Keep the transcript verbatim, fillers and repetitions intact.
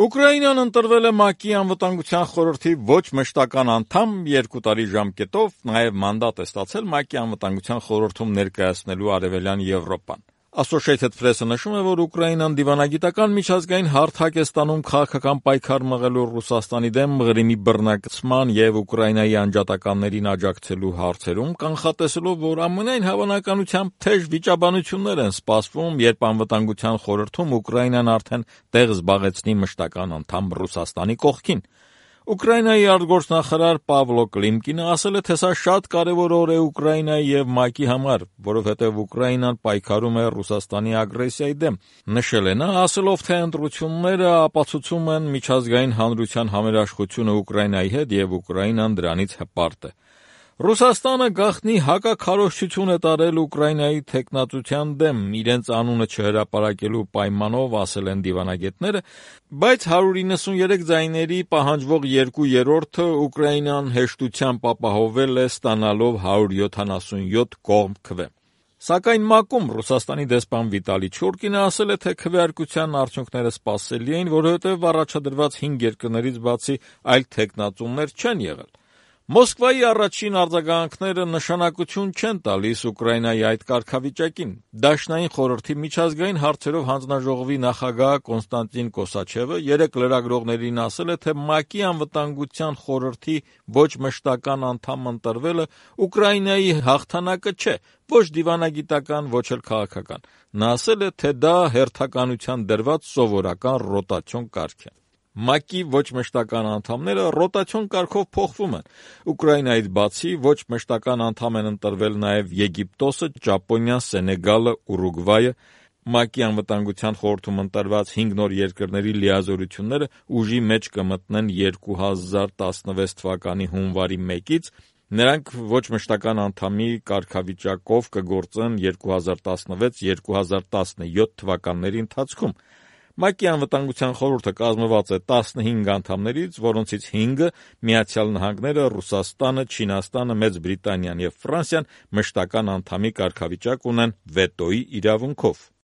Ուկրաինան ընտրվել է ՄԱԿ-ի անվտանգության խորհրդի ոչ մշտական անդամ երկու տարի ժամկետով, նաև մանդատ է ստացել ՄԱԿ-ի անվտանգության խորհրդում ներկայացնելու Արևելյան Եվրոպան։ Associated Press-ը նշում է, որ Ուկրաինան դիվանագիտական միջազգային հարթակ է ստանում քաղաքական պայքար մղելու Ռուսաստանի դեմ Ղրիմի բռնակցման և Ուկրաինայի անջատականներին աջակցելու հարցերում, կանխատեսելով, որ ամենայն հավանականությամբ թեժ վիճաբանություններ են սպասվում, երբ անվտանգության խորհրդում Ուկրաինան արդեն տեղ զբաղեցնի մշտական անդամ Ռուսաստանի կողքին։ Ուկրաինայի արտգործնախարար Պավլո Կլիմկինը ասել է, թե սա շատ կարևոր օր է Ուկրաինայի և ՄԱԿ-ի համար, որովհետև Ուկրաինան պայքարում է Ռուսաստանի ագրեսիայի դեմ։ Նշել է նա, ասելով, թե ընտրությունները ապացուցում են միջազգային հանրության համերաշխությունը Ուկրաինայի հետ և Ուկրաինան դրանից հպարտ է։ Ռուսաստանը գաղտնի հակաքարոզչություն է տարել Ուկրաինայի թեկնածության դեմ, իրենց անունը չհրապարակելու պայմանով, ասել են դիվանագետները, բայց հարյուր իննսուններեք ձայների պահանջվող երկու երրորդը Ուկրաինան հեշտությամբ ապահովել է, ստանալով հարյուր յոթանասունյոթ կողմ քվե։ Սակայն ՄԱԿ-ում Ռուսաստանի դեսպան Վիտալի Չուրկինը ասել է, թե քվեարկության արդյունքները սպասելի էին, որովհետև առաջադրված հինգ երկրներից բացի այլ թեկնածուներ չեն եղել։ Մոսկվայի առաջին արձագանքները նշանակություն չեն տալիս Ուկրաինայի այդ կարգավիճակին։ Դաշնային խորհրդի միջազգային հարցերով հանձնաժողովի նախագահ Կոնստանտին Կոսաչևը երեկ լրագրողներին ասել է, թե ՄԱԿ-ի անվտանգության խորհրդի ոչ մշտական անդամ ընտրվելը Ուկրաինայի հաղթանակը չէ, ոչ դիվանագիտական, ոչ էլ քաղաքական։ Նա ասել է, թե դա հերթականության դրված սովորական ռոտացիոն կարգ է։ ՄԱԿ-ի ոչ մշտական անդամները ռոտացիոն կարգով փոխվում են։ Ուկրաինայից բացի ոչ մշտական անդամ են ընտրվել նաև Եգիպտոսը, Ճապոնիան, Սենեգալը, Ուրուգվայը։ ՄԱԿ-ի անվտանգության խորհրդում ընտրված հինգ նոր երկրների լիազորությունները ուժի մեջ կմտնեն երկու հազար տասնվեց թվականի հունվարի մեկից, նրանք ոչ մշտական անդամի կարգավիճակով կգործեն երկու հազար տասնվեց երկու հազար տասնյոթ թվականների ընթացքում։ ՄԱԿ-ի անվտանգության խորհուրդը կազմված է տասնհինգ անդամներից, որոնցից հինգը՝ Միացյալ Նահանգները, Ռուսաստանը, Չինաստանը, Մեծ Բրիտանիան և Ֆրանսիան, մշտական անդամի կարգավիճակ ունեն վետոյի իրավունքով։